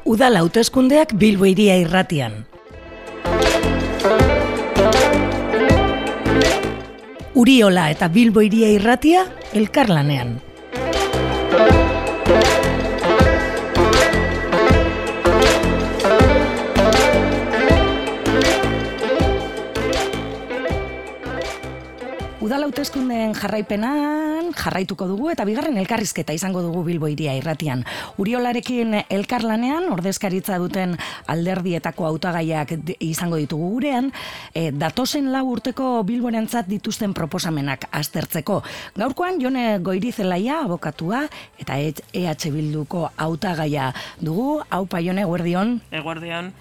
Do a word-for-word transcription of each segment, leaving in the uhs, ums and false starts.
Udal hauteskundeak Bilbo Hiria Irratian. Uriola eta Bilbo Hiria Irratia elkarlanean. Udal hauteskundeen jarraipenan jarraituko dugu eta bigarren elkarrizketa izango dugu Bilbo Hiria Irratian. Uriolarekin elkarlanean ordezkaritza duten alderdietako hautagaiak izango ditugu gurean, e, datozen lau urteko Bilborentzat dituzten proposamenak aztertzeko. Gaurkoan Jone Goirizelaia abokatua eta E H Bilduko hautagaia dugu. Aupa Jone, eguerdion. Eguerdion.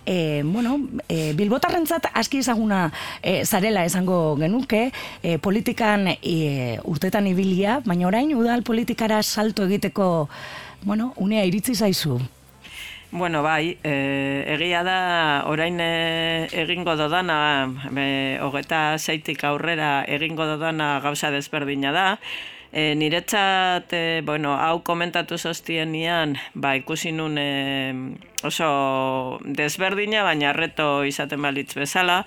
E, bueno, e, Bilbotarrentzat aski ezaguna e, zarela esango genuke, e, politikan e, urtetan ibilia, baina orain udal politikara salto egiteko, bueno, unea iritsi zaizu. Bueno, bai, e, egia da orain e, egingo dodana, e, hogeta seitik aurrera egingo dodana gauza desberdina da. E, niretzat, e, bueno, hau komentatu zoztienian, ba, ikusi nun e, oso desberdina, baina reto izaten balitz bezala,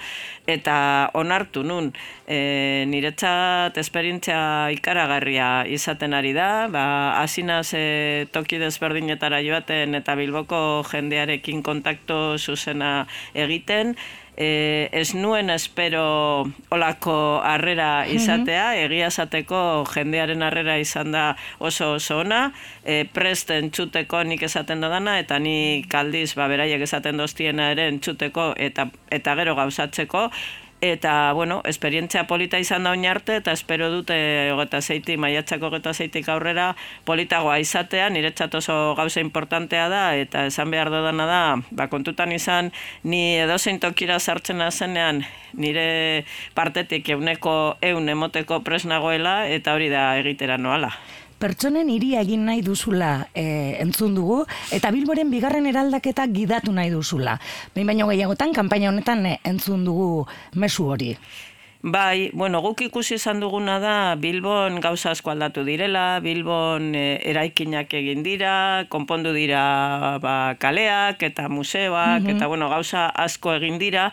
eta onartu nun. E, niretzat esperientzia ikaragarria izaten ari da, ba, asinaz e, toki desberdinetara joaten eta Bilboko jendearekin kontakto zuzena egiten, E, ez nuen espero olako harrera izatea, egia esateko jendearen harrera izan da oso oso ona, e, prest entzuteko nik esaten dodana, eta nik aldiz ba, beraiek esaten doztiena ere entzuteko eta, eta gero gauzatzeko. Eta, bueno, esperientzia polita izan da oin arte, eta espero dute hogeita zeitik, maiatzako hogeita zeitik aurrera politagoa izatea, niretzat oso gauza importantea da, eta esan behar dodana da, ba, kontutan izan, ni edozein tokira sartzen zenean, nire partetik euneko eun emoteko pres nagoela, eta hori da egitera noala. Pertsonen hiria egin nahi duzula e, entzun dugu, eta Bilboren bigarren eraldaketa gidatu nahi duzula. Behin baino gehiagotan, kanpaina honetan e, entzun dugu mezu hori. Bai, bueno, guk ikusi izan duguna da Bilbon gauza asko aldatu direla, Bilbon e, eraikinak egin dira, konpondu dira ba, kaleak eta museoak, mm-hmm. eta bueno, gauza asko egin dira,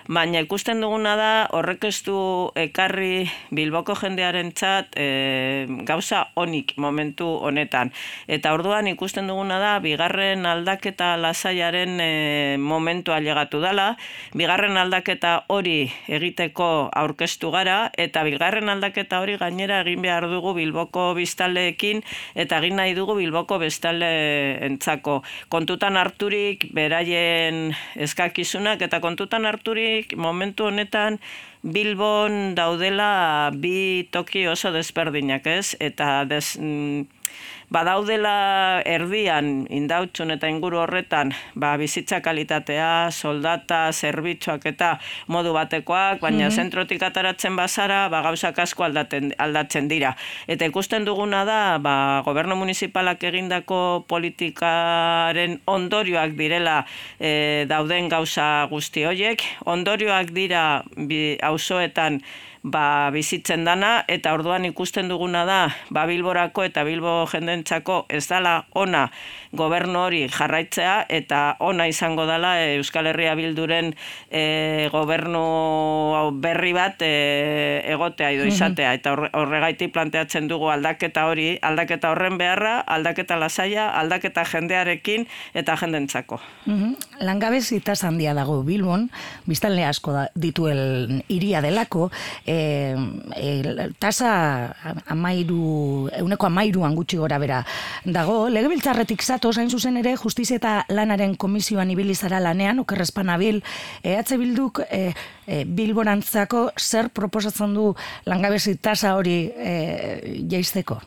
baina ikusten duguna da horrek ez du ekarri Bilboko jendearentzat e, gauza onik momentu honetan. Eta orduan ikusten duguna da bigarren aldaketa lasaiaren e, momentua llegatu dela, bigarren aldaketa hori egiteko aurkeztu gara, eta bigarren aldaketa hori gainera egin behar dugu Bilboko biztanleekin, eta egin nahi dugu Bilboko biztanleentzako. Kontutan harturik beraien eskakizunak, eta kontutan harturik momentu honetan Bilbon daudela bi toki oso desberdinak, ez? Eta des, mm, badaudela erdian Indautxun eta inguru horretan ba, bizitza kalitatea, soldata, zerbitzuak eta modu batekoak, baina mm-hmm. zentrotik ataratzen bazara ba, gauzak asko aldaten, aldatzen dira. Eta ikusten duguna da ba, gobernu municipalak egindako politikaren ondorioak direla e, dauden gauza guzti horiek, ondorioak dira bi, auzoetan ba, bizitzen dana, eta orduan ikusten duguna da ba, Bilborako eta Bilbo jendentzako ez dala ona gobernu hori jarraitzea, eta ona izango dela e, Euskal Herria Bilduren e, gobernu berri bat e, egotea edo izatea, eta horregaitik planteatzen dugu aldaketa hori, aldaketa horren beharra, aldaketa lasaia, aldaketa jendearekin eta jendentzako. Mm-hmm. Langabezi tasa handia dago Bilbon, biztanle asko da, dituen hiria delako, e, e, tasa amairu, euneko amairuan gutxi gora bera dago. Legebiltzarretik zatoz, hain zuzen ere, Justizia eta Lanaren Komisioan ibili zara lanean, okerrezpan abil, E H Bilduk e, e, Bilborantzako zer proposatzen du langabezi tasa hori e, jaisteko?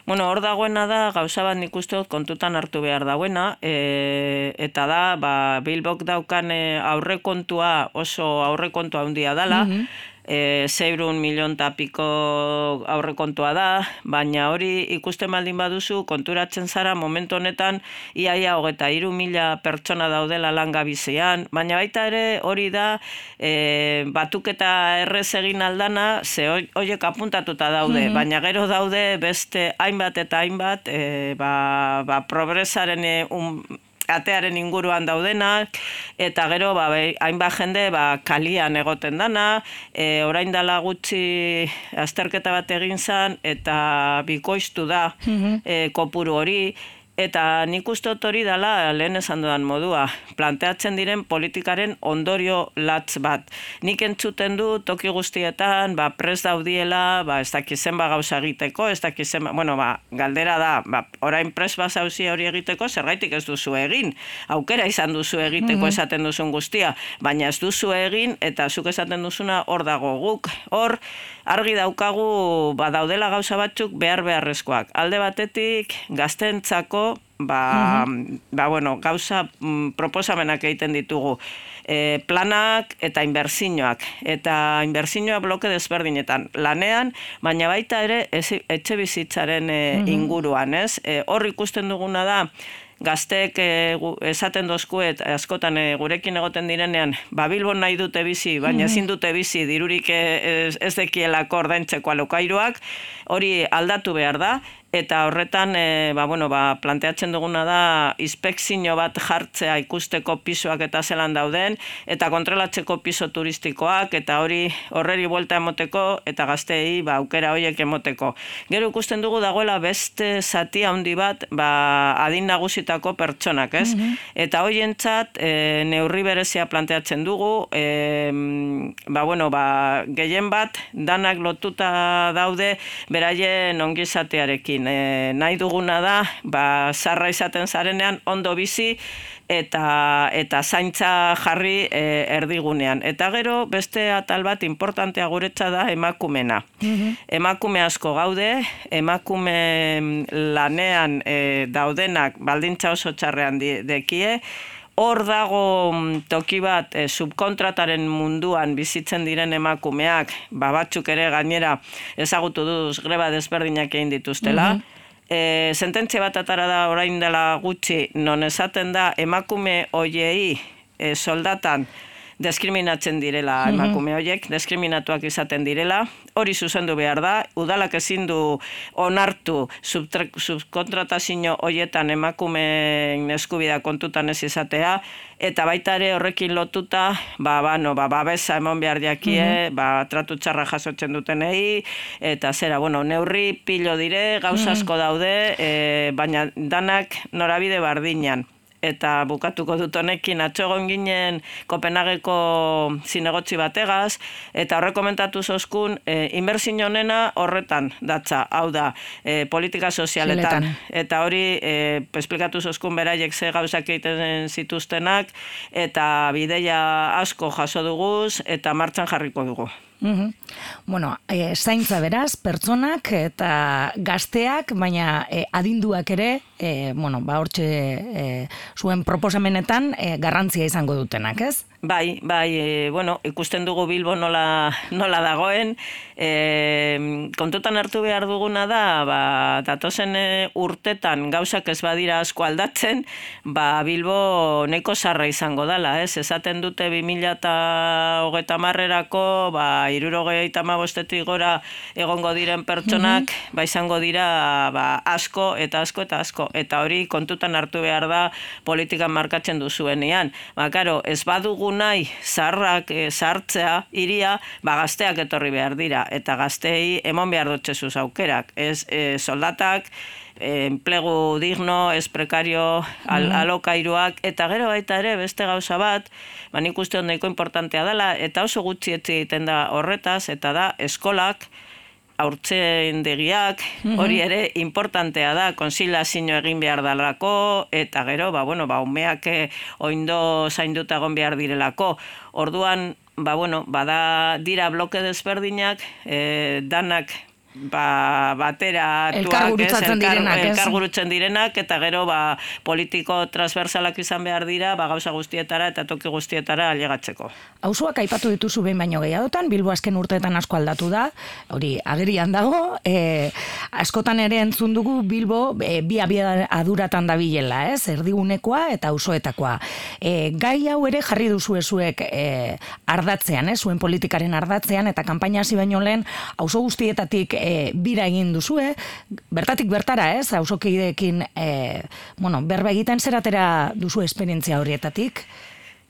Bueno, hor dagoena da, gauza bat nik uste dut kontutan hartu behar dagoena, e, eta da, ba, Bilbok daukan e, aurrekontua oso aurrekontua handia dela, mm-hmm. e, zeirun milion tapiko aurrekontua da, baina hori ikusten baldin baduzu, konturatzen zara momentu honetan iaia hogeta hiru mila pertsona daudela langabizean, baina baita ere hori da e, batuketa errez egin aldana, ze horiek apuntatuta daude, mm-hmm. baina gero daude beste hainbat eta hainbat e, ba, ba, progresaren e, un, atearen inguruan daudenak, eta gero ba, hainbat jende ba, kalian egoten dana, e, orain dela gutxi azterketa bat egin zan, eta bikoiztu da mm-hmm. e, kopuru hori, eta nik uste dut hori dela lehen esan dudan modua, planteatzen diren politikaren ondorio latz bat. Nik entzuten du toki guztietan, ba, prest daudiela, ba, ez dakizen ba gauza egiteko, ez dakizen, bueno, ba, galdera da, ba, orain prest bazauzi hori egiteko, zergaitik ez duzu egin. Aukera izan duzu egiteko esaten duzun guztia, baina ez duzu egin, eta zuk esaten duzuna hor dago guk. Hor, argi daukagu, ba, daudela gauza batzuk behar beharrezkoak. Alde batetik, gaztentzako, ba, uh-huh. ba, bueno, gauza mm, proposamenak egiten ditugu. E, planak eta inbertsioak. Eta inbertsioa bloke desberdinetan. Lanean, baina baita ere etxe bizitzaren e, uh-huh. inguruan, ez? E, hor ikusten duguna da, gazteek e, esaten dozkuet, askotan e, gurekin egoten direnean, ba, Bilbon nahi dute bizi, baina ezin dute bizi, dirurik ez, ez dekielako ordaintzeko alokairuak, hori aldatu behar da, eta horretan e, ba, bueno, ba, planteatzen duguna da inspekzio bat jartzea ikusteko pisoak eta zelan dauden, eta kontrolatzeko piso turistikoak, eta hori horreri buelta emoteko, eta gazteei ba, aukera horiek emoteko. Gero ikusten dugu dagoela beste zati handi bat ba, adin nagusitako pertsonak, ez? Mm-hmm. Eta horientzat e, neurri berezia planteatzen dugu, e, ba, bueno, ba, gehien bat danak lotuta daude beraien ongizatearekin. E, nahi duguna da, ba, zarra izaten zarenean ondo bizi eta eta zaintza jarri e, erdigunean. Eta gero beste atal bat importantea guretza da emakumena. Mm-hmm. Emakume asko gaude, emakume lanean e, daudenak baldintza oso txarrean dekie, hor dago toki bat e, subkontrataren munduan bizitzen diren emakumeak, ba, batzuk ere gainera ezagutu duz greba desberdinak egin dituztela. Mm-hmm. E, sententzia bat atara da orain dela gutxi, non esaten da emakume hoiei e, soldatan diskriminatzen direla mm-hmm. emakume horiek, diskriminatuak izaten direla, hori zuzendu behar da, udalak ezin du onartu subkontratazio horietan emakumeen eskubidea kontutan ez izatea, eta baita ere horrekin lotuta, ba, ba, no, ba, babesa emon behar jakie, mm-hmm. ba, tratu txarra jasotzen dutenei, eta zera, bueno, neurri pilo dire, gauza asko daude, e, baina danak norabide bardinan. Eta bukatuko dut honekin, atxogon ginen Kopenhageko zinegotzi bategaz, eta horre komentatu zozkun, e, inbertsio honena horretan datza, hau da, e, politika sozialetan. Ziletan. Eta hori, e, esplikatu zozkun beraiek ze gauzak egiten zituztenak, eta bideia asko jaso duguz, eta martxan jarriko dugu. Mm-hmm. Bueno, e, zaintza beraz, pertsonak eta gazteak, baina e, adinduak ere, e, bueno, ba, hortxe e, zuen proposamenetan e, garrantzia izango dutenak, ez? Bai, bai, e, bueno, ikusten dugu Bilbo nola, nola dagoen, e, kontutan hartu behar duguna da, ba, datozen e, urtetan gauzak ez badira asko aldatzen, ba, Bilbo neko zarra izango dala, ez? Esaten dute bi mila hogeita hamarrerako, ba, hirurogeita hamabostetik gora egongo diren pertsonak, mm-hmm. ba, izango dira ba, asko eta asko eta asko, eta hori kontutan hartu behar da politikan markatzen duzuenean. Ba, karo, ez badugu nahi zaharrak e, zahartzea iria, ba, gazteak etorri behar dira, eta gazteei emon behar dutxezuz aukerak, ez e, soldatak, e, enplegu digno, ez prekario, al, alokairuak, eta gero baita ere beste gauza bat, ba, nik uste ondaiko importantea dela, eta oso gutxi etzi egiten da horretaz, eta da eskolak, haurtzendegiak, hori ere importantea da, konsilazio egin behar dalako, eta gero, ba, bueno, ba, umeak oindo zainduta egon behar direlako. Orduan, ba, bueno, bada dira bloke desberdinak, e, danak ba, batera elkar gurutzatzen direnak, ez? Elkar gurutzen direnak, eta gero ba, politiko transversalak izan behar dira, ba, gauza guztietara eta toki guztietara ailegatzeko. Auzoak aipatu dituzu behin baino gehiagotan, Bilbo azken urteetan asko aldatu da, hori agerian dago, e, askotan ere entzun dugu Bilbo e, bi abiaduratan dabilela, ez? Erdigunekoa eta auzoetakoa. E, gai hau ere jarri duzu ezuek e, ardatzean, ez? Zuen politikaren ardatzean, eta kanpaina hasi baino lehen auzo guztietatik e, bira egin duzue, bertatik bertara, ez? Auzokideekin e, bueno, berba egiten zeratera duzu esperientzia horietatik?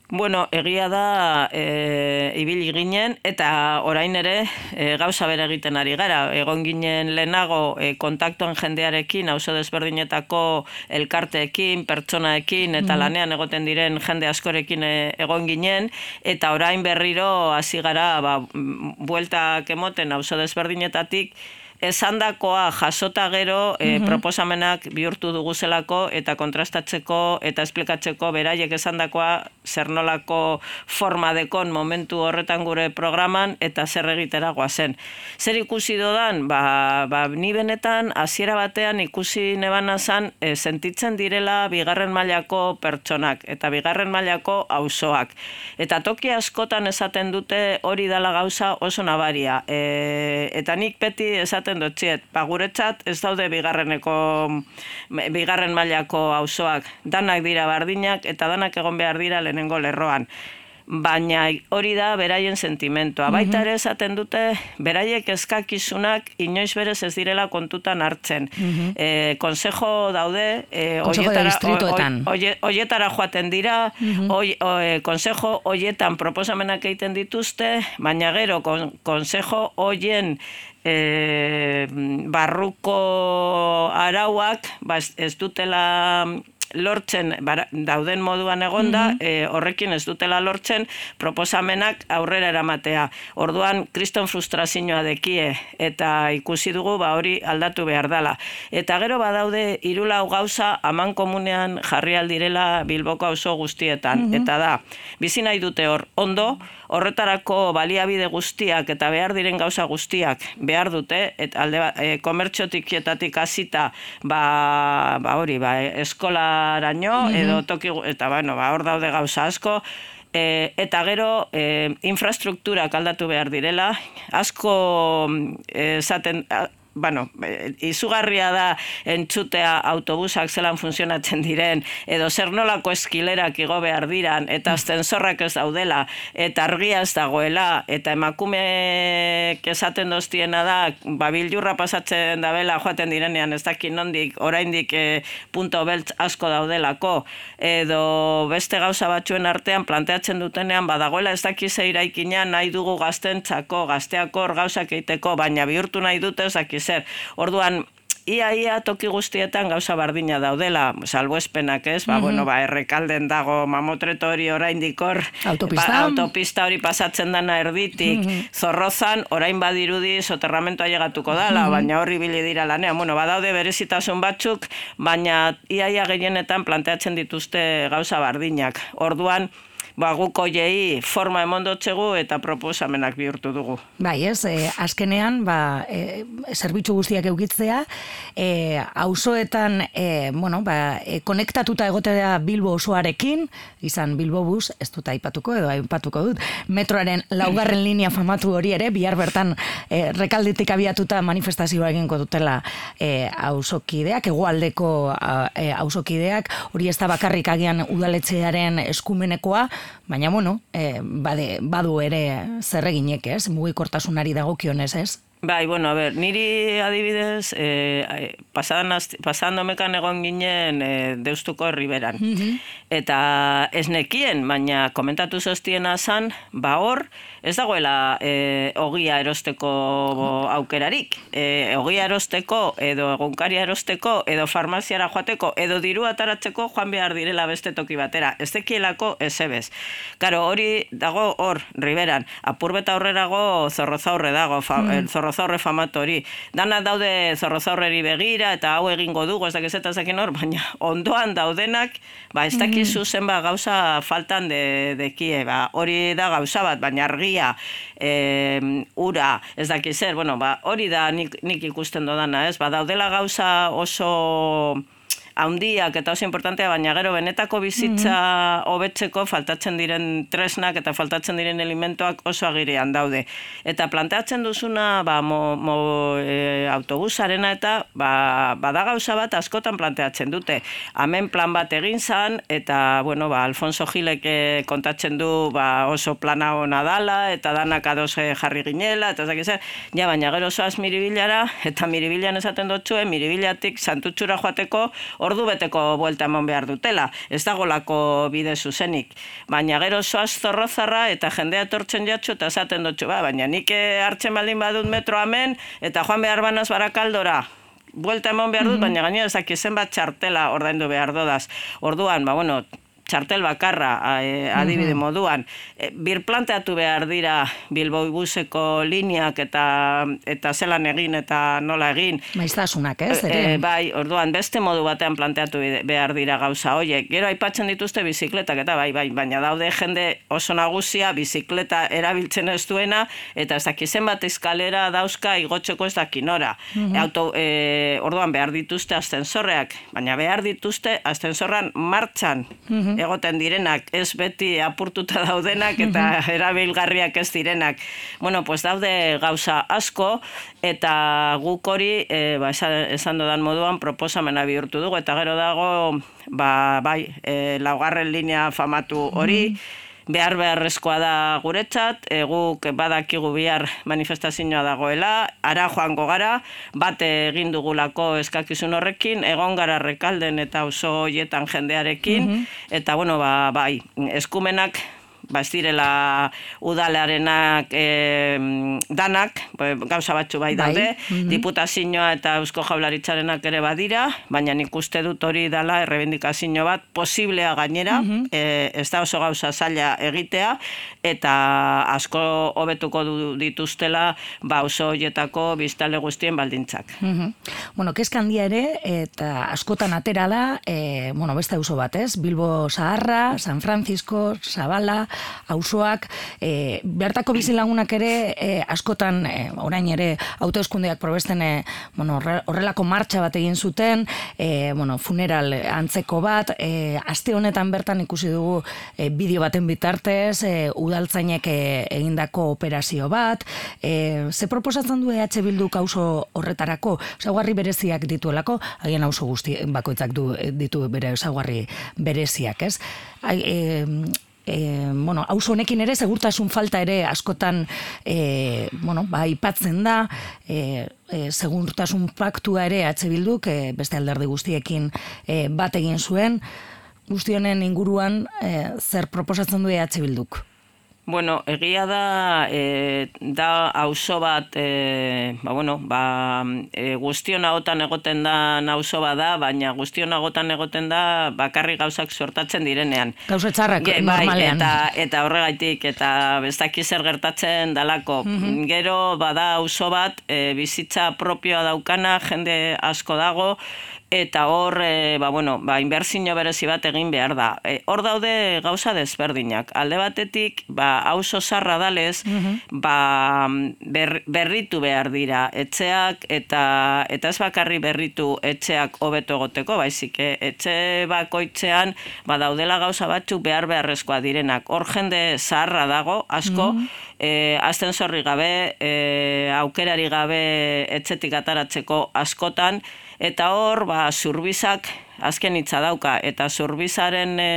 Bueno, egia da e, ibili ginen, eta orain ere e, gauza bere egiten ari gara. Egon ginen lehenago e, kontaktuan jendearekin, auzo desberdinetako elkarteekin, pertsonaekin, eta mm. lanean egoten diren jende askorekin e, egon ginen, eta orain berriro hasi gara ba, bueltak emoten auzo desberdinetatik, esandakoa jasota gero e, mm-hmm. proposamenak bihurtu duguzelako eta kontrastatzeko eta esplikatzeko beraiek esandakoa zer nolako forma dekon momentu horretan gure programan eta zer egitera goazen. Zer ikusi dodan? Ba, ba, ni benetan hasiera batean ikusi nebana zan e, sentitzen direla bigarren mailako pertsonak eta bigarren mailako auzoak. Eta toki askotan esaten dute hori dala gauza oso nabaria. E, eta nik beti esaten dutziet, ba, guretzat ez daude bigarreneko, bigarren mailako auzoak, danak dira bardinak eta danak egon behar dira lehenengo lerroan. Baina hori da beraien sentimentua. Baita ere esaten dute, beraiek eskakizunak inoiz berez ez direla kontutan hartzen. Mm-hmm. e, konsejo daude, e, oietara, oietara joaten dira, mm-hmm. oi, o, e, konsejo oietan proposamenak egiten dituzte, baina gero kon, konsejo oien E, barruko arauak ba, ez, ez dutela lortzen bara, dauden moduan egonda, mm-hmm. e, horrekin ez dutela lortzen proposamenak aurrera eramatea. Orduan kriston frustrazioa dekie eta ikusi dugu ba hori aldatu behar dela. Eta gero badaude hirulau gauza aman komunean jarri aldirela Bilboko auzo guztietan. Mm-hmm. Eta da, bizi nahi dute hor ondo, horretarako baliabide guztiak eta behar diren gauza guztiak behar dute, eta alde e, komertxotikietatik hasita ba, ba hori, ba, eskolaraino, mm-hmm. edo toki, eta bueno, ba, hor daude gauza asko, e, eta gero e, infrastrukturak aldatu behar direla, asko esaten... E, bueno, izugarria da entzutea autobusak zelan funtzionatzen diren, edo zer nolako eskilerak igo behar diran, eta ascensorrak ez daudela, eta argia ez dagoela, eta emakumeek esaten doztiena da, ba, biljurra pasatzen dabela joaten direnean, ez dakit nondik, oraindik e, punto beltz asko daudelako, edo beste gauza batzuen artean planteatzen dutenean, badagoela ez dakit ze eraikina nahi dugu gaztentzako, gazteako hor gauzak egiteko, baina bihurtu nahi dute ez dakit zer. Orduan, ia ia toki guztietan gauza bardina daudela, salbuespenak ez, ba, mm-hmm. bueno, ba, Errekalden dago mamotreto hori oraindik hor, autopista. Ba, autopista hori pasatzen dana erditik, mm-hmm. Zorrozan, orain badirudi soterramentoa llegatuko dala, mm-hmm. baina horri bili dira lanean, bueno, badaude berezitasun batzuk, baina ia ia gehienetan planteatzen dituzte gauza bardinak. Orduan, ba, guk oiei forma emondotxegu eta proposamenak bihurtu dugu. Bai, ez, e, azkenean, ba, e, zerbitzu guztiak eukitzea, e, auzoetan, e, bueno, ba, e, konektatuta egotea Bilbo osoarekin, izan Bilbo bus, ez dut aipatuko edo aipatuko dut, metroaren laugarren linea famatu hori ere, bihar bertan e, Rekaldetik abiatuta manifestazioa egingo dutela e, auzokideak, hegoaldeko e, auzokideak, hori ez da bakarrik agian udaletxearen eskumenekoa, baina, bueno, eh, bade, badu ere zerreginek, ez? Mugikortasunari dagokionez, ez? Bai, bueno, a ver, niri adibidez, eh, pasando mekan egon ginen eh, Deustuko Riberan. Mm-hmm. Eta ez nekien, baina komentatu zoztiena zan, ba hor, ez dagoela eh, ogia erosteko aukerarik. Eh, ogia erosteko, edo egunkaria erosteko, edo farmaziara joateko, edo diru ataratzeko joan behar direla beste toki batera. Ez dekielako ezebez. Karo, hori dago hor, Riberan, apurbeta horrerago Zorrozaurre dago, fa, mm. Zorrozaurre zorrozaurre famatu hori. Dana daude zorrozaurreri begira, eta hau egingo dugu, ez dakiz eta zakin hor, baina ondoan daudenak, ba, ez dakizu zenba gauza faltan de, dekie, ba, hori da gauza bat, baina argia, e, ura, ez dakiz zer, bueno, ba, hori da nik, nik ikusten dodana, ez, ba, daudela gauza oso haundiak eta oso importantea, baina gero benetako bizitza hobetzeko faltatzen diren tresnak eta faltatzen diren elementoak oso agirean daude. Eta planteatzen duzuna ba, mo, mo, e, autobusarena eta ba, bada gauza bat askotan planteatzen dute. Hemen plan bat egin zan, eta bueno, ba, Alfonso Gilek e, kontatzen du ba, oso plana ona dala, eta danak ados jarri ginela, eta ez zer, ja, baina gero zoaz Miribilara, eta Miribilan esaten dutxue, Miribilatik Santutxura joateko ordu beteko buelta emon behar dutela, ez dagolako bide zuzenik. Baina gero zoaz Zorrozarra eta jendea etortzen jatxu eta esaten dutxu, ba, baina nik hartzen baldin badut metro hemen eta joan behar banaz Barakaldora. Buelta emon behar dut, baina gainera ezak zenbat txartela ordaindu behar dodaz. Orduan, ba, bueno, txartel bakarra adibide moduan. Birplanteatu behar dira Bilbao buseko lineak eta eta zelan egin eta nola egin. Maiztasunak, ez? E, bai, orduan, beste modu batean planteatu behar dira gauza horiek. Gero aipatzen dituzte bizikletak eta bai, bai, baina daude jende oso nagusia bizikleta erabiltzen ez duena eta ez dakizen bat eskalera dauzka igotzeko ez dakinora. Mm-hmm. Auto, e, orduan, behar dituzte ascensorreak, baina behar dituzte ascensorran martxan. Mm-hmm. Egoten direnak, ez beti apurtuta daudenak eta erabilgarriak ez direnak. Bueno, pues daude gauza asko eta guk hori, e, ba, esan dodan moduan, proposamena bihurtu dugu eta gero dago, ba, bai, e, laugarren linea famatu hori, behar beharrezkoa da guretzat, e, guk badakigu bihar manifestazioa dagoela, ara joango gara, bat egin dugulako eskakizun horrekin, egon gara Rekalden eta auzo hoietan jendearekin, mm-hmm. eta bueno, ba, bai, eskumenak, ba, ez direla udalarenak e, danak, gauza batzu bai daude, bai. Mm-hmm. Diputazioa eta Eusko Jaurlaritzarenak ere badira, baina nik uste dut hori dela errebindikazio bat posiblea gainera, mm-hmm. e, ez da oso gauza zaila egitea, eta asko hobetuko dituztela ba, oso horietako biztanle guztien baldintzak. Mm-hmm. Bueno, kezka handia ere, eta askotan atera da, e, bueno, beste auzo bat, ez? Bilbo Zaharra, San Francisco, Zabala, auzoak, e, bertako bizilagunak ere e, askotan, e, orain ere autoeskundeak probesten e, bueno, horrelako martxa bat egin zuten, e, bueno, funeral antzeko bat, e, aste honetan bertan ikusi dugu e, bideo baten bitartez, e, udaltzainek e, egindako operazio bat, e, ze proposatzen du E H Bilduk auzo horretarako, ezaugarri bereziak dituelako, haien auzo guzti bakoitzak du, ditu bere ezaugarri bereziak, ez? Ai, e, E, bueno, auzo honekin ere segurtasun falta ere askotan e, bueno, ba, ipatzen da, e, e, segurtasun paktua ere E H Bilduk e, beste alderdi guztiekin e, bat egin zuen, guzti honen inguruan e, zer proposatzen du E H Bilduk? Bueno, egia da, e, da auzo bat, e, ba, bueno, ba, e, guztion agotan egoten da auzo bat da, baina guztion agotan egoten da bakarri gauzak sortatzen direnean. Gauza txarrak Ge, normalean. Bai, eta, eta horregaitik, eta bestaki zer gertatzen dalako. Mm-hmm. Gero, bada auzo bat, e, bizitza propioa daukana, jende asko dago, eta hor, e, ba, bueno, ba, inbertsio berezi bat egin behar da. E, hor daude gauza desberdinak. Alde batetik, ba, auzo zarra dalez, mm-hmm. ba, ber, berritu behar dira etxeak, eta eta ez bakarri berritu etxeak hobeto egoteko, baizik, etxe bakoitzean, ba, daudela gauza batzuk behar beharrezkoa direnak. Hor jende zaharra dago, asko, mm-hmm. e, ascensorri gabe, e, aukerari gabe etxetik ataratzeko askotan, eta hor, ba, zurbizak azken hitza dauka, eta zurbizaren e,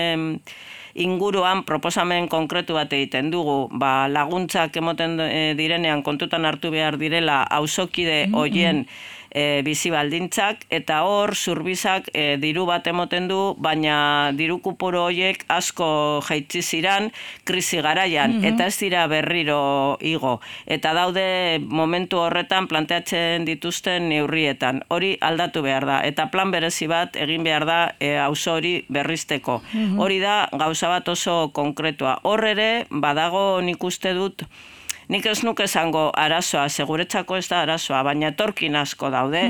inguruan proposamen konkretu bat egiten dugu, ba, laguntzak emoten e, direnean kontutan hartu behar direla auzokide hoien e, bizi baldintzak, eta hor zurbizak e, diru bat emoten du, baina diru kupuru horiek asko jaitsi ziran krisi garaian, mm-hmm. eta ez dira berriro igo. Eta daude momentu horretan planteatzen dituzten neurrietan. Hori aldatu behar da, eta plan berezi bat egin behar da e, auzo hori berrizteko. Mm-hmm. Hori da gauza bat oso konkretua. Hor ere, badago nik uste dut, nik ez nuke esango arazoa, seguretzako ez da arazoa, baina etorkin asko daude,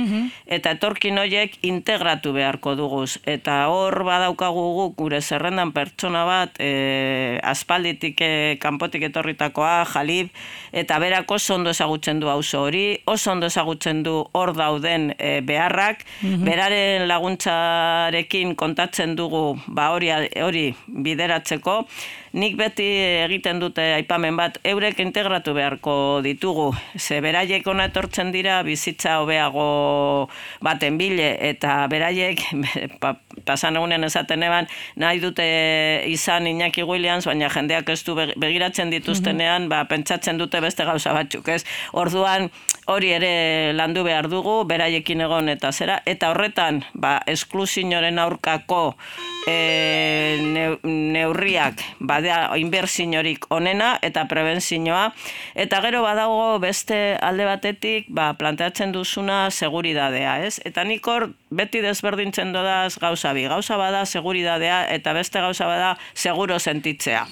eta etorkin horiek integratu beharko duguz. Eta hor badaukagu guk gure zerrendan pertsona bat, e, aspalditik e, kanpotik etorritakoa, Jalib, eta berak oso ondo ezagutzen du auzo hori, oso ondo ezagutzen du hor dauden e, beharrak, beraren laguntzarekin kontatzen dugu ba hori hori bideratzeko. Nik beti egiten dute aipamen bat, eurek integratu beharko ditugu. Ze beraiek ona etortzen dira bizitza hobeago baten bile, eta beraiek, pa, pasan egunen esaten eban, nahi dute izan Iñaki Williams, baina jendeak ez du begiratzen dituztenean, ba, pentsatzen dute beste gauza batzuk, ez? Orduan, hori ere landu behar dugu, beraiekin egon eta zera, eta horretan, ba, esklusioaren aurkako e, ne, neurriak, badea inbertsiorik onena eta prebentzioa, eta gero badago beste alde batetik, ba, planteatzen duzuna seguridadea, ez? Eta nik hor beti desberdintzen dodaz gauza bi, gauza bada seguridadea eta beste gauza bada seguro sentitzea.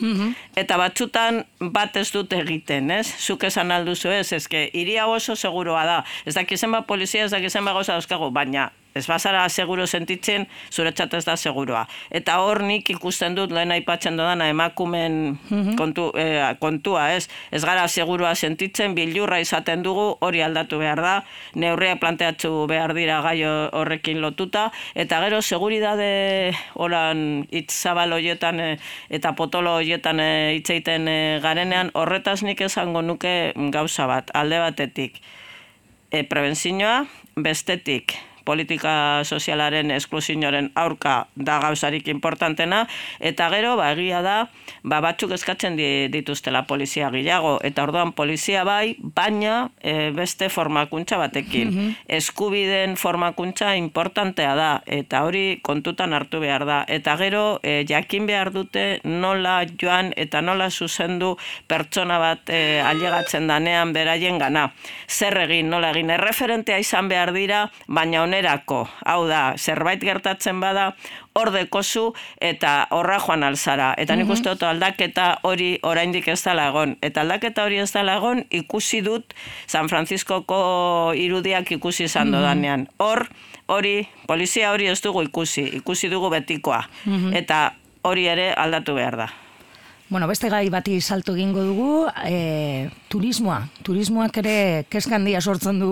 Eta batzutan bat ez dut egiten, ez? Zuk esan alduzu ez, ezke iria oso seguroa da, ez dakizen ba polizia, ez dakizen ba gauza dauzkagu, baina ez bazara seguro sentitzen, zuretzat ez da seguroa. Eta hor nik ikusten dut, lehen aipatzen dodana, emakumen kontu, eh, kontua, ez? Ez gara seguroa sentitzen, bilurra izaten dugu, hori aldatu behar da, neurria planteatzu behar dira gai horrekin lotuta, eta gero seguridade oran itzabal horietan eh, eta potolo horietan eh, itzeiten eh, garenean, horretaz nik esango nuke gauza bat, alde batetik. E, prebentzioa, bestetik, politika sozialaren esklusioaren aurka da gauzarik importantena, eta gero, ba, egia da, ba, batzuk eskatzen dituztela polizia gehiago, eta orduan polizia bai, baina e, beste formakuntza batekin. Mm-hmm. Eskubideen formakuntza importantea da, eta hori kontutan hartu behar da. Eta gero, e, jakin behar dute nola joan eta nola zuzendu pertsona bat e, ailegatzen danean beraien gana. Zer egin, nola egin, erreferentea izan behar dira, baina honen erako, hau da, zerbait gertatzen bada, hor dekozu eta horra joan alzara. Eta nik uste dut aldaketa hori oraindik ez dela egon. Eta aldaketa hori ez dela egon ikusi dut San Franciscoko irudiak ikusi izan dodanean. Hor, hori, polizia hori ez dugu ikusi, ikusi dugu betikoa. Eta hori ere aldatu behar da. Bueno, beste gai bati salto egingo dugu, e, turismoa. Turismoak ere kezka handia sortzen du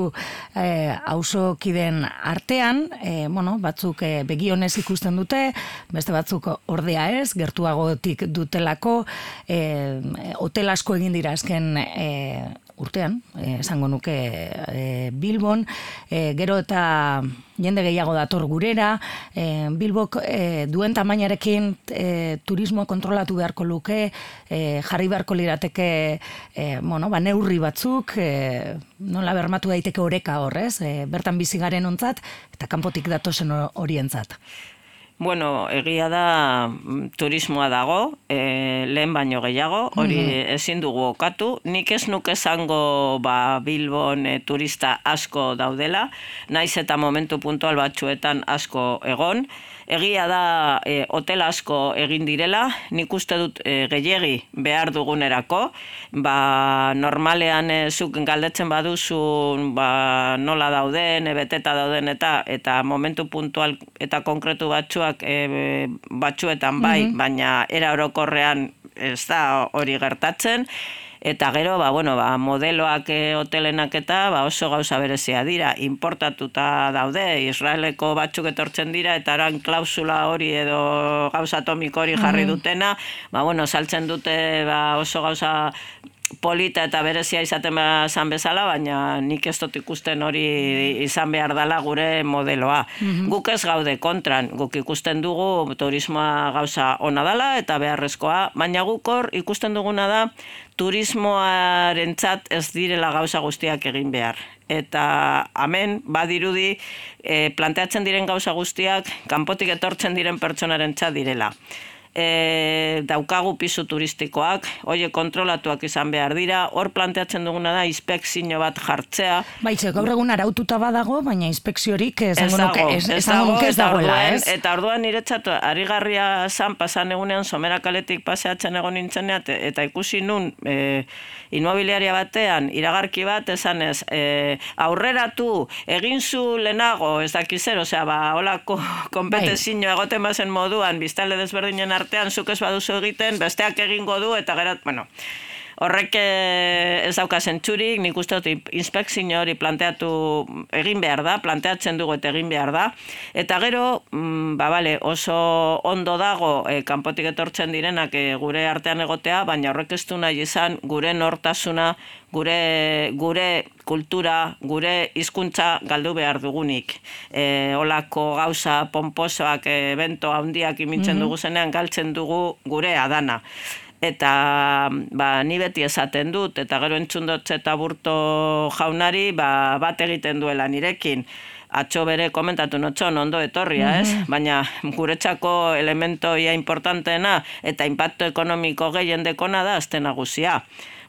e, auzokideen artean, e, bueno, batzuk e, begionez ikusten dute, beste batzuk ordea ez, gertuagotik dutelako, e, hotel asko egin dira azken e, urtean, eh, esango nuke eh, Bilbon, eh, gero eta jende gehiago dator gurera, eh, Bilbok eh, duen tamainarekin eh, turismoa kontrolatu beharko luke, eh, jarri beharko lirateke eh, bueno, ba, neurri batzuk, eh, nola bermatu daiteke oreka horrez, eh, bertan bizi garen ontzat, eta kanpotik datozen horientzat. Bueno, egia da turismoa dago, e, lehen baino gehiago, hori ezin dugu okatu. Nik ez nuke esango ba, Bilbon e, turista asko daudela, naiz eta momentu puntual batzuetan asko egon. Egia da e, hotel asko egin direla, nik uste dut e, gehiegi behar dugunerako, ba, normalean e, zuk galdetzen baduzu ba, nola dauden, e, beteta dauden eta eta momentu puntual eta konkretu batzuak e, batzuetan bai, mm-hmm. baina era orokorrean ez da hori gertatzen. Eta gero, ba, bueno, ba, modeloak e, hotelenak eta ba, oso gauza berezia dira, importatuta daude, Israeleko batzuk etortzen dira, eta oran klausula hori edo gauza atomiko hori jarri dutena, ba, bueno, saltzen dute ba, oso gauza polita eta berezia izaten zan bezala, baina nik ez dut ikusten hori izan behar dela gure modeloa. Mm-hmm. Guk ez gaude kontran, guk ikusten dugu turismoa gauza ona dela eta beharrezkoa, baina guk hor ikusten duguna da turismoarentzat ez direla gauza guztiak egin behar. Eta hemen badirudi e, planteatzen diren gauza guztiak kanpotik etortzen diren pertsonarentzat direla. e, daukagu pisu turistikoak, hoie kontrolatuak izan behar dira, hor planteatzen duguna da inspekzio bat jartzea. Baitze, gaur egun araututa badago, baina inspekziorik esango nuke ez, ez esango nuke ez dagoela, orduan, ez? Eta orduan niretzat arigarria zan pasan egunean Somera kaletik paseatzen egon nintzenean, eta ikusi nun e, inmobiliaria batean iragarki bat esanez, e, aurreratu egin zu lehenago, ez dakizer, osea, ba, holako konpetezio egoten bazen moduan, biztanle desberdinen artean, zuk ez baduzu egiten, besteak egingo du, eta gerat, bueno, horrek ez dauka zentzurik, nik uste dut inspekzio hori planteatu egin behar da, planteatzen dugu eta egin behar da, eta gero, mm, ba, bale, oso ondo dago e, kanpotik etortzen direnak e, gure artean egotea, baina horrek ez du nahi izan gure nortasuna, gure, gure kultura, gure hizkuntza galdu behar dugunik. E, olako gauza pomposoak, evento handiak imintzen dugu zenean, galtzen dugu gure adana. Eta ba, ni beti esaten dut, eta gero entzundotze eta burto jaunari ba, bat egiten duela nirekin. Atxo bere komentatu notxon ondo etorria, ez? Mm-hmm. Baina guretzako elementoia importanteena eta impacto ekonomiko gehien dekona da azte nagusia.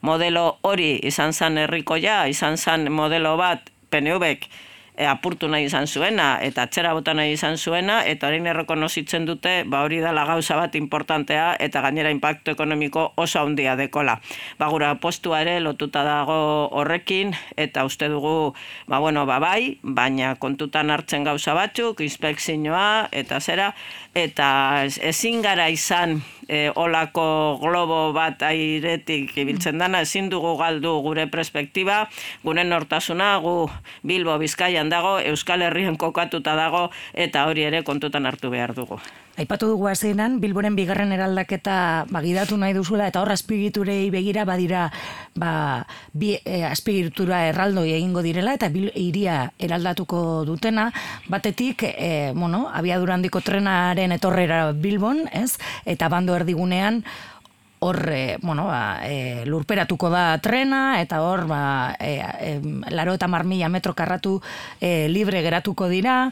Modelo hori izan zan herrikoia, izan zan modelo bat P N V-ek E, apurtu nahi izan zuena, eta atzera bota nahi izan zuena, eta orain errekonozitzen dute, ba hori dala gauza bat importantea, eta gainera impacto ekonomiko oso handia dekola. Ba gura postua ere lotuta dago horrekin, eta uste dugu, ba bueno, ba bai, baina kontutan hartzen gauza batzuk, inspekzioa, eta zera, eta ezin gara izan E, olako globo bat airetik ibiltzen dana, ezin dugu galdu gure perspektiba, gure nortasuna, gu Bilbo Bizkaian dago, Euskal Herrian kokatuta dago, eta hori ere kontutan hartu behar dugu. Aipatu dugu hasieran Bilboren bigarren eraldaketa bagidatu nahi duzula, eta hor azpiegiturei begira badira ba, bi e, azpiegitura erraldoi egingo direla, eta bil, iria eraldatuko dutena, batetik, e, bueno, abiadura handiko trenaren etorrera Bilbon, ez? Eta bando erdigunean, hor, e, bueno, ba, e, lurperatuko da trena, eta hor, ba, e, e, laro eta mar mila metro karratu e, libre geratuko dira,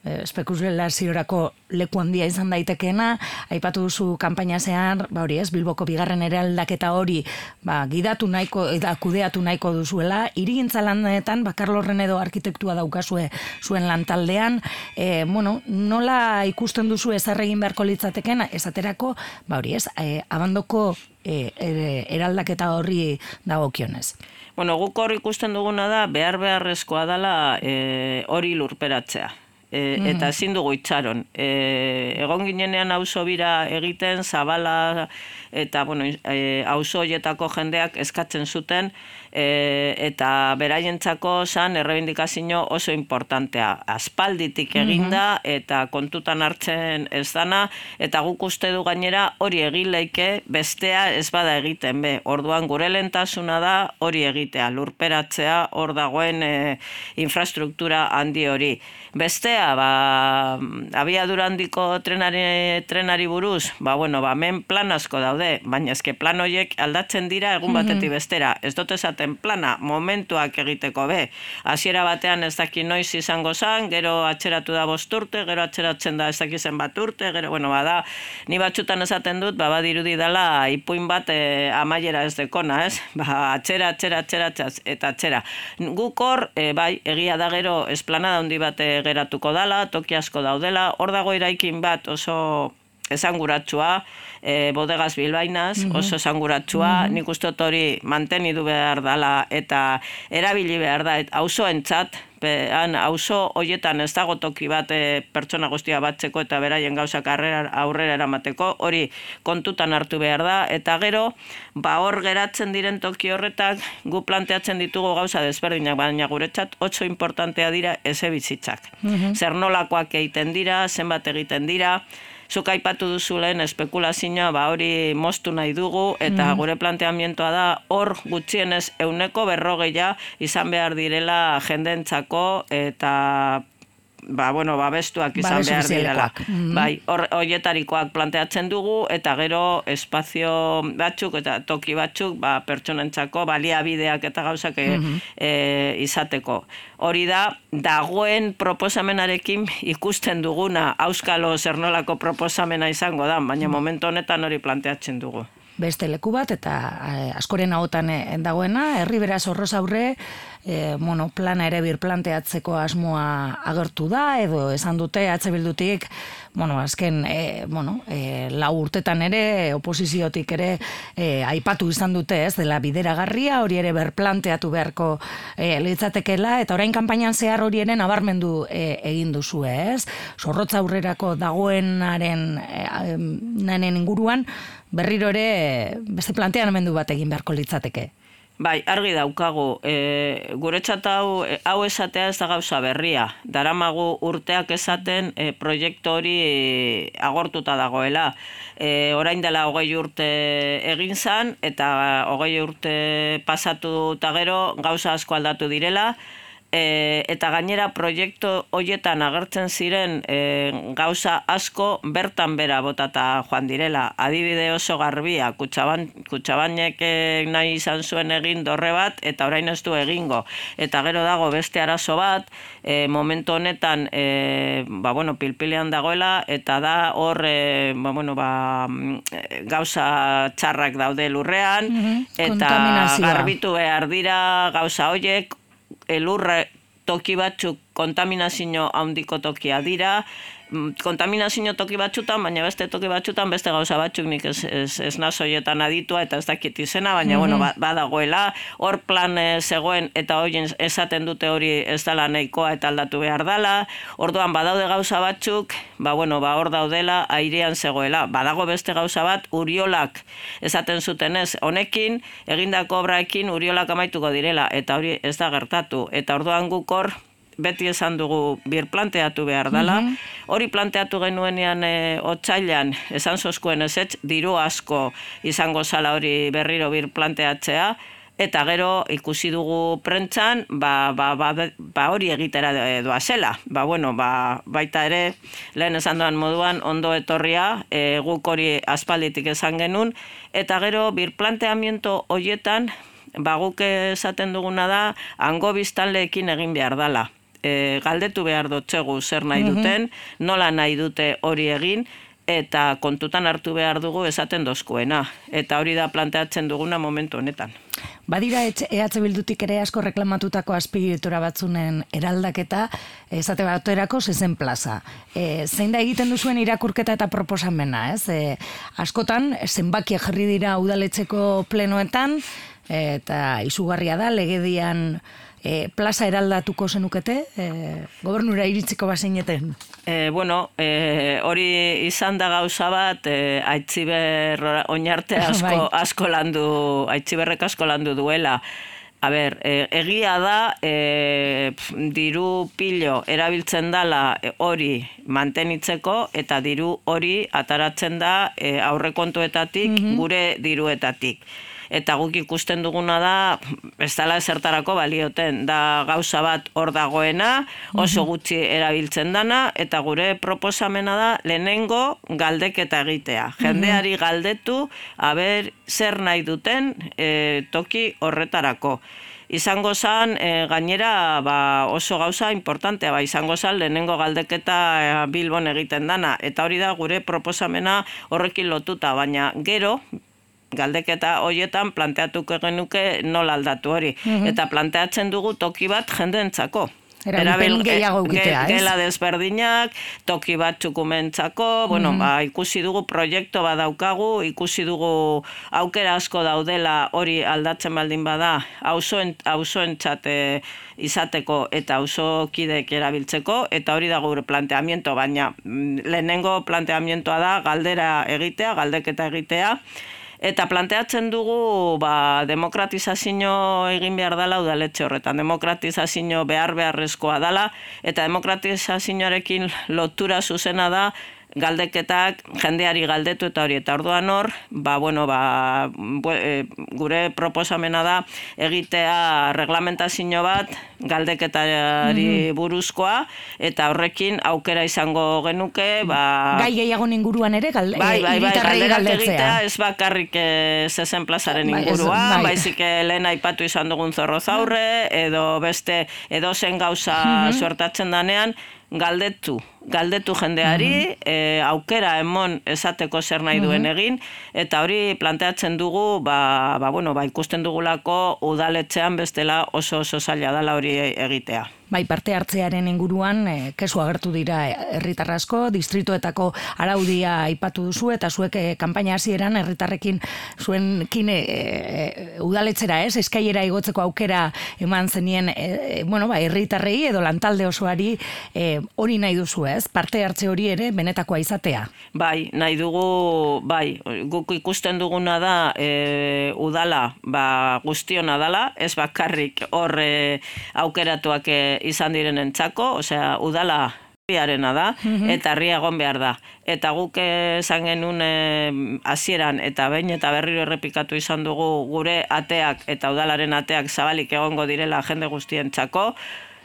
espekulaziorako leku handia izan daitekeena, aipatu duzu kanpaina zehar, ba hori ez, Bilboko bigarren eraldaketa hori ba, gidatu nahiko, eta kudeatu nahiko duzuela, hirigintza lanetan, ba, Karlo Renedo arkitektua daukazue zuen lantaldean, e, bueno, nola ikusten duzu ezer egin beharko litzateken, esaterako, ba hori ez, e, abandoko e, e, eraldaketa horri dagokionez. Bueno, guk hor ikusten duguna da, behar beharrezkoa dela e, hori lurperatzea. E, eta ezin dugu itxaron. E, egon ginenean auzo bira egiten, Zabala eta bueno, e, auzo horietako jendeak eskatzen zuten, e, eta beraientzako zan errebindikazio oso importantea. Aspalditik eginda eta kontutan hartzen ez dana, eta guk uste du gainera hori egin leike bestea ez bada egiten be. Orduan gure lehentasuna da hori egitea, lurperatzea hor dagoen e, infrastruktura handi hori. Bestea, ba, abiadura handiko trenari, trenari buruz, ba, bueno, ba, men plan asko daude, baina eske plan horiek aldatzen dira egun batetik bestera. Ez dut esaten plana, momentuak egiteko be. Hasiera batean ez daki noiz izango zan, gero atxeratu da bost urte, gero atxeratzen da ez daki zen bat urte, gero, bueno, bada, ni batzutan esaten dut, ba, badirudi dela ipuin bat e, amaiera ez dekona, ez? Ba, atxera, atxera, atxera, atxera, eta atxera. Guk hor, e, bai, egia da gero esplanada handi bat e, geratuko dala, toki asko daudela, hor dago eraikin bat oso esanguratsua, e, bodegas bilbainaz, oso esanguratsua, mm-hmm. nik uste dut hori mantenidu behar dala eta erabili behar da, auzoentzat, han auzo hoietan ez dago toki bat e, pertsona guztia batzeko eta beraien gauzak aurrera eramateko, hori kontutan hartu behar da, eta gero, ba hor geratzen diren toki horretak, gu planteatzen ditugu gauza desberdinak, baina guretzat oso importantea dira ezebizitzak. Mm-hmm. Zer nolakoak egiten dira, zenbat egiten dira, zuk aipatu duzu lehen espekulazioa, ba hori moztu nahi dugu, eta mm. gure planteamientoa da hor gutxienez euneko berrogeia izan behar direla jendentzako eta ba, bueno, babestuak izan Babes behar direla. Mm-hmm. Bai, hoietarikoak planteatzen dugu, eta gero espazio batzuk eta toki batzuk ba, pertsonentzako baliabideak eta gauzak mm-hmm. e, izateko. Hori da, dagoen proposamenarekin ikusten duguna, auskalo zer nolako proposamena izango da, baina momentu honetan hori planteatzen dugu. Beste leku bat, eta eh, askoren ahotan dagoena, herri beraz horroz aurre, eh, bueno, plana ere birplanteatzeko asmoa agertu da, edo esan dute H Bildutik, bueno, azken, eh, bueno, eh, lau urtetan ere, oposiziotik ere, eh, aipatu izan dute, ez, dela bideragarria, hori ere berplanteatu beharko eh, litzatekela, eta orain kanpainan zehar hori ere nabarmendu eh, egin duzu, ez? Zorrotza aurrerako dagoenaren eh, nanen inguruan, berriro ere beste planteamendu bat egin beharko litzateke. Bai, argi daukagu, e, guretzat hau, hau esatea ez da gauza berria. Daramagu urteak esaten e, proiektu hori e, agortuta dagoela. E, orain dela hogei urte egin zan, eta hogei urte pasatu eta gero gauza asko aldatu direla, E, eta gainera proiektu horietan agertzen ziren e, gauza asko bertan bera botata joan direla. Adibide oso garbia, Kutxaban, Kutxabanek nahi izan zuen egin dorre bat, eta orain ez du egingo. Eta gero dago beste arazo bat, e, momentu honetan e, ba, bueno, pilpilean dagoela, eta da hor e, ba, bueno, ba, gauza txarrak daude lurrean, mm-hmm. eta garbitu behar dira gauza horiek, elurre toki batzuk kontaminazio handiko tokia dira, kontaminazio toki batzutan, baina beste toki batzutan, beste gauza batzuk nik ez, ez, ez nazoietan aditua eta ez dakit izena, baina mm-hmm. bueno, badagoela, hor plan zegoen eta horien esaten dute hori ez dela nahikoa eta aldatu behar dela, orduan badaude gauza batzuk, ba bueno, ba hor daudela, airean zegoela, badago beste gauza bat, Uriolak esaten zuten ez, honekin, egindako obraekin Uriolak amaituko direla, eta hori ez da gertatu, eta orduan guk hor, beti esan dugu birplanteatu behar dela. Mm-hmm. Hori planteatu genuenean e, otsailean esan zozkuen ezetz, diru asko izango zala hori berriro birplanteatzea, eta gero ikusi dugu prentzan, ba, ba, ba, ba hori egitera doazela. Ba, bueno, ba, baita ere, lehen esan doan moduan, ondo etorria, e, guk hori aspalditik esan genuen, eta gero birplanteamiento horietan, ba, guk esaten duguna da, hango biztanleekin egin behar dala. E, galdetu behar dutxegu zer nahi duten, nola nahi dute hori egin, eta kontutan hartu behar dugu esaten dozkuena. Eta hori da planteatzen duguna momentu honetan. Badira E H Bildutik ere asko reklamatutako azpiegitura batzunen eraldaketa, esate baterako zezen plaza. E, zein da egiten duzuen irakurketa eta proposamena, ez? E, askotan, zenbakiak jarri dira udaletxeko plenoetan, eta izugarria da, legedian e, plaza eraldatuko zenukete, e, gobernura iritsiko bazineten? E, bueno, e, hori izan da gauza bat, e, Aitziber oinarte asko, asko landu, Aitziberrek asko landu duela. A ber, e, egia da, e, diru pilo erabiltzen dala hori mantenitzeko, eta diru hori ataratzen da e, aurrekontuetatik, mm-hmm. gure diruetatik. Eta guk ikusten duguna da, ez dela ezertarako balioten, da gauza bat hor dagoena, oso gutxi erabiltzen dana, eta gure proposamena da lehenengo galdeketa egitea. Jendeari galdetu, aber zer nahi duten e, toki horretarako. Izango zan, e, gainera ba, oso gauza importantea, ba, izango zan lehenengo galdeketa e, Bilbon egiten dana, eta hori da gure proposamena horrekin lotuta, baina gero, galdeketa horietan planteatuko genuke nola aldatu hori. Mm-hmm. Eta planteatzen dugu toki bat jendeentzako. Erabilpen gehiago egitea, ez? Gela desberdinak, toki bat txukumentzako, bueno, mm-hmm. ba, ikusi dugu proiektu bat daukagu, ikusi dugu aukera asko daudela hori aldatzen baldin bada, auzoentzat izateko eta auzokideek erabiltzeko, eta hori da gure planteamiento, baina lehenengo planteamientoa da galdera egitea, galdeketa egitea, eta planteatzen dugu ba, demokratizazio egin behar dela udaletxe horretan. Demokratizazio behar beharrezkoa dela, eta demokratizazioarekin lotura zuzena da galdeketak jendeari galdetu eta hori, eta orduan hor, ba, bueno, ba, gure proposamena da egitea reglamentazio bat galdeketari buruzkoa, eta horrekin aukera izango genuke, ba... Gai gehiagon inguruan ere, gal, bai, bai, bai, galderak egitea, ez bakarrik zezen plazaren inguruan, bai, baizik lehen aipatu izan dugun zorrozaurre, edo beste, edo zen gauza mm-hmm. suertatzen danean, galdetu, galdetu jendeari, mm-hmm. e, aukera emon esateko zer nahi duen mm-hmm. egin, eta hori planteatzen dugu, ba, ba, bueno, ba, ikusten dugulako udaletxean bestela oso oso zaila dela hori egitea. Bai, parte hartzearen inguruan, e, kesu agertu dira herritar asko, distritoetako araudia aipatu duzu, eta zuek e, kanpaina hasieran herritarrekin zuen kine e, udaletxera, ez, eskaiera igotzeko aukera eman zenien, e, bueno, ba, herritarrei edo lantalde osoari e, hori nahi duzu, ez, parte hartze hori ere benetakoa izatea. Bai, nahi dugu, bai, guk ikusten duguna da e, udala, ba, guztiona dala, ez bakarrik hor e, aukeratuak e, izan direnentzako, osea, udala herriarena da, mm-hmm. eta herria egon behar da. Eta guk esan genuen hasieran eta behin eta berriro errepikatu izan dugu gure ateak eta udalaren ateak zabalik egongo direla jende guztientzako,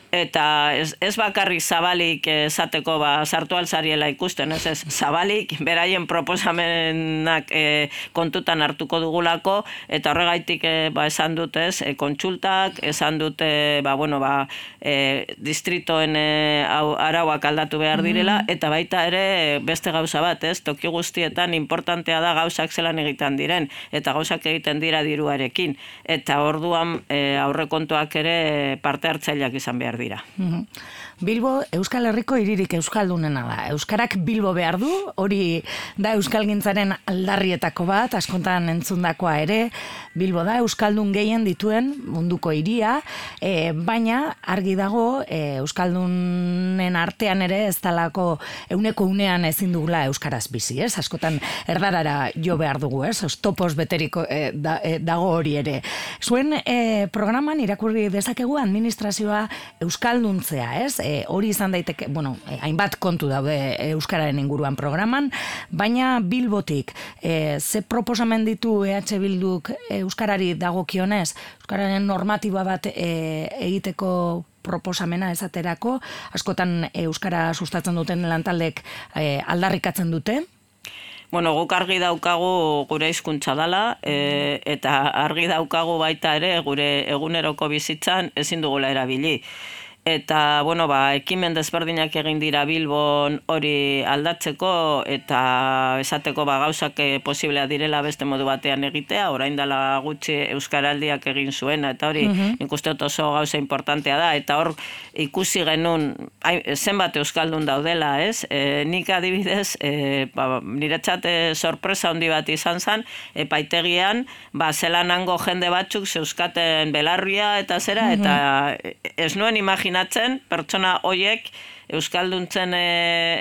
eta ez, ez bakarrik zabalik esateko ba, sartu alzariela ikusten, ez ez, zabalik beraien proposamenak e, kontutan hartuko dugulako, eta horregaitik e, ba, esan dut ez, e, kontsultak, esan dute ba, bueno, ba, e, distritoen e, au, arauak aldatu behar direla, mm. eta baita ere beste gauza bat, ez, toki guztietan importantea da gauzak zelan egiten diren, eta gauzak egiten dira diruarekin, eta orduan e, aurrekontuak ere parte hartzaileak izan behar dira. Bilbo Euskal Herriko hiririk euskaldunena da. Euskarak Bilbo behar du, hori da euskalgintzaren aldarrietako bat, askontan entzundakoa ere. Bilbo da euskaldun gehien dituen munduko hiria, e, baina argi dago e, euskaldunen artean ere ez talako euneko unean ezin dugula euskaraz bizi, ez? Askotan erdarara jo behar dugu, ez? Ostopos beteriko e, da, e, dago hori ere. Zuen e, programan irakurri dezakegu administrazioa euskalduntzea, ez? E, hori izan daiteke, bueno, e, hainbat kontu daude euskararen inguruan programan, baina Bilbotik e, ze proposamen ditu E H Bilduk euskarari dagokionez, euskararen normatiba bat e, egiteko proposamena esaterako, askotan euskara sustatzen duten lantaldek e, aldarrikatzen dute? Bueno, guk argi daukagu gure hizkuntza dela, e, eta argi daukagu baita ere gure eguneroko bizitzan ezin dugula erabili. Eta, bueno, ba, ekimen desberdinak egin dira Bilbon hori aldatzeko, eta esateko ba, gauzak posiblea direla beste modu batean egitea, orain dela gutxi euskaraldiak egin zuena, eta hori mm-hmm. nik uste dut oso gauza importantea da, eta hor ikusi genuen zenbat euskaldun daudela, ez? E, nik adibidez, e, ba, niretzat sorpresa handi bat izan zen, epaitegian, ba, zelanango jende batzuk zeuskaten belarria eta zera, mm-hmm. eta ez nuen imaginatzen pertsona hoiek euskalduntzen e,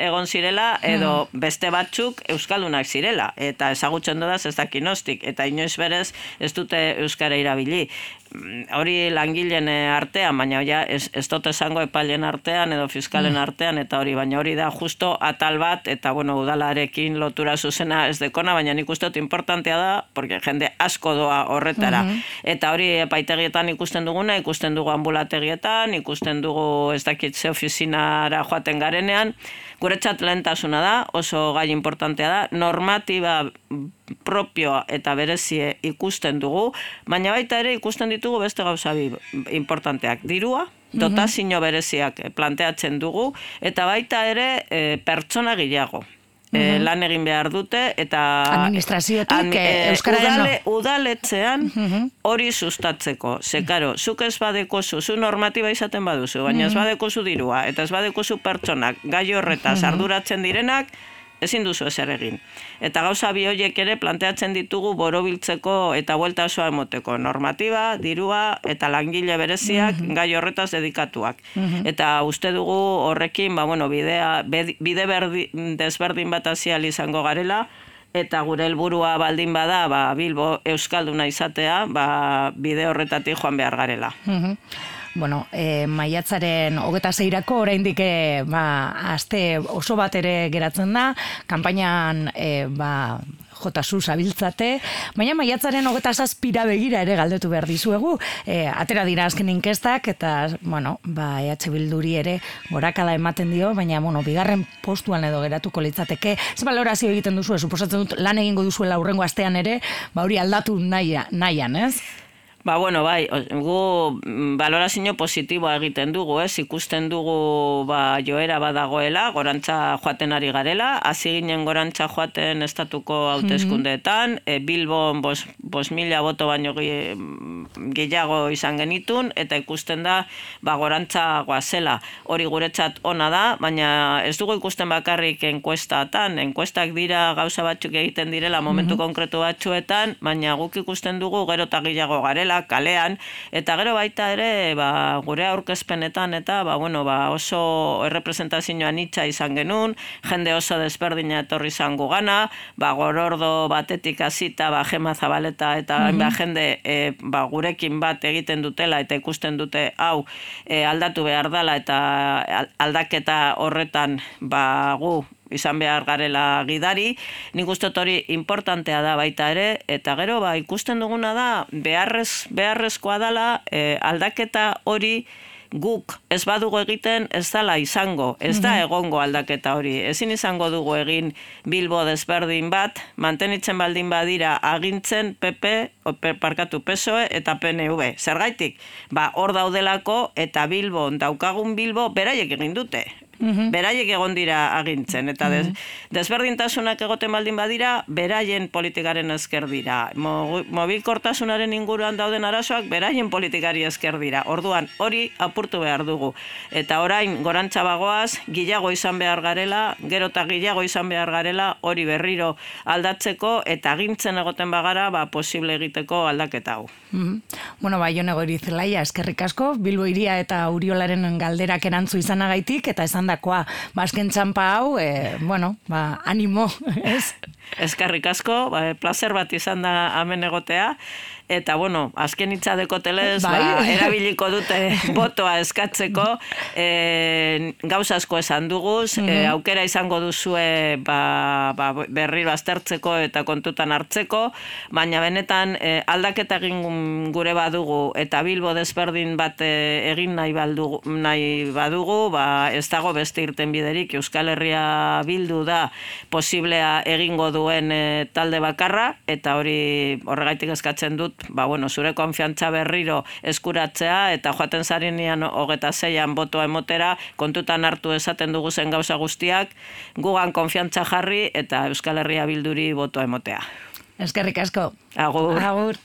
egon zirela, edo beste batzuk euskaldunak zirela, eta ezagutzen dudaz ez dakinostik, eta inoiz berez ez dute euskara irabili. Hori langileen artean, baina ja, ez, ez dut esango epailen artean edo fiskalen artean, eta hori, baina hori da justo atal bat, eta bueno, udalarekin lotura zuzena ez dekona, baina nik uste dut importantea da, porque jende asko doa horretara. Eta hori epaitegietan ikusten duguna, ikusten dugu ambulategietan, ikusten dugu ez dakitze ofizinara joaten garenean, guretzat lehentasuna da, oso gai importantea da, normatiba propioa eta berezie ikusten dugu, baina baita ere ikusten ditugu beste gauza importanteak. Dirua, dotazio bereziak planteatzen dugu, eta baita ere e, pertsona gehiago. E, lan egin behar dute, eta administrazioetik e, euskararen udale, udaletzean hori sustatzeko. Ze, karo, zuk ez badekozu, zu normatiba izaten baduzu, baina ez badekozu dirua, eta ez badekozu pertsonak gai horretaz arduratzen direnak, ezin duzu ezer egin. Eta gauza bi horiek ere planteatzen ditugu borobiltzeko eta buelta osoa emoteko. Normatiba, dirua eta langile bereziak mm-hmm. gai horretaz dedikatuak. Mm-hmm. Eta uste dugu horrekin, ba, bueno, bidea, bide berdi, desberdin bat azial izango garela, eta gure helburua baldin bada, ba, Bilbo euskalduna izatea, ba, bide horretatik joan behar garela. Mm-hmm. bueno, e, maiatzaren hogeta zeirako oraindik e, ba, aste oso bat ere geratzen da, kanpainan e, ba, jotasu zabiltzate, baina maiatzaren hogeta zazpira begira ere galdetu behar dizuegu, e, atera dira azken inkestak, eta, bueno, ba, E H Bilduri ere gorakala ematen dio, baina, bueno, bigarren postuan edo geratuko litzateke. Ez balorazio egiten duzu, suposatzen dut lan egingo duzuela aurrengo astean ere, ba hori aldatu nahian, ez? Ba, bueno, bai, gu balorazio positiboa egiten dugu, ez? Ikusten dugu ba, joera badagoela, gorantza joaten ari garela, hasi ginen gorantza joaten estatuko hauteskundeetan, e, Bilbon bos, bos mila boto baino gehiago izan genitun, eta ikusten da ba, gorantza goazela. Hori guretzat ona da, baina ez dugu ikusten bakarrik enkuestatan, enkuestak dira gauza batzuk egiten direla momentu konkretu batzuetan, baina guk ikusten dugu gero eta gehiago garela, kalean, eta gero baita ere ba, gure aurkezpenetan eta ba, bueno, ba, oso errepresentazioa nitza izan genuen, jende oso desberdina etorri izango gana, ba, gorordo batetik hasita ba, Gema Zabaleta eta mm-hmm. ba, jende e, ba, gurekin bat egiten dutela eta ikusten dute hau e, aldatu behar dela eta aldaketa horretan ba, gu izan behar garela gidari, nik uste hori importantea da baita ere, eta gero ba, ikusten duguna da beharrez, beharrezkoa dela e, aldaketa hori guk ez badugu egiten ez dela izango, ez da egongo aldaketa hori. Ezin izango dugu egin Bilbo desberdin bat, mantenitzen baldin badira agintzen P P, parkatu P S O E eta P N V. Zergaitik? Ba, hor daudelako eta Bilbon daukagun Bilbo beraiek egin dute. Mm-hmm. Beraiek egon dira agintzen, eta des, desberdintasunak egoten baldin badira, beraien politikaren esker dira. Mo, mobilkortasunaren inguruan dauden arazoak, beraien politikari esker dira. Orduan, hori apurtu behar dugu. Eta orain, gorantza bagoaz, gilago izan behar garela, gero eta gilago izan behar garela, hori berriro aldatzeko, eta agintzen egoten bagara, ba, posible egiteko aldaketa hau. Mm-hmm. Bueno, ba, Jon Goirizelaia, eskerrik asko, Bilbo Hiria eta Uriolaren galderak erantzu izanagaitik, eta esan dakoa, bazken txampa hau, e, bueno, ba, animo, ez? Eskerrik asko, ba, placer bat izan da hemen egotea, eta, bueno, azken hitzadeko telez, bai. Ba, erabiliko dute botoa eskatzeko, e, gauza asko esan duguz, mm-hmm. e, aukera izango duzue ba, ba, berriro aztertzeko eta kontutan hartzeko, baina benetan e, aldaketa egin gure badugu, eta Bilbo desberdin bat e, egin nahi, baldugu, nahi badugu, ba, ez dago beste irten biderik, Euskal Herria bildu da posiblea egingo duen e, talde bakarra, eta hori horregaitik eskatzen dut, ba, bueno, zure konfiantza berriro eskuratzea, eta joaten zarinean hogeta zeian botoa emotera, kontutan hartu esaten dugu zen gauza guztiak, gugan konfiantza jarri, eta Euskal Herria Bilduri botoa emotea. Eskerrik asko. Agur. Agur.